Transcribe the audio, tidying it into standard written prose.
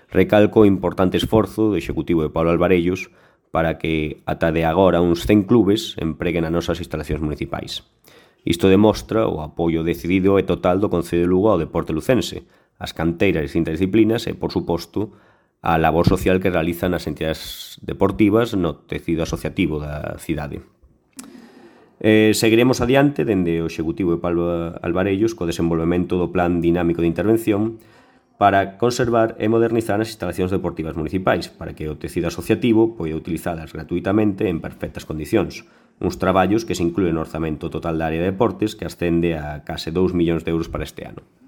recalco o importante esforzo do Executivo de Pablo Alvarellos para que ata de agora uns 100 clubes empreguen as nosas instalacións municipais. Isto demostra o apoio decidido e total do Concello de Lugo ao deporte lucense, as canteiras de distintas disciplinas e, por suposto, a labor social que realizan as entidades deportivas no tecido asociativo da cidade. Seguiremos adiante dende o Executivo de Pablo Alvarellos co desenvolvemento do Plan Dinámico de Intervención para conservar e modernizar as instalacións deportivas municipais, para que o tecido asociativo poida utilizadas gratuitamente en perfectas condicións. Uns traballos que se inclúen no orzamento total da área de deportes que ascende a case 2 millóns de euros para este ano.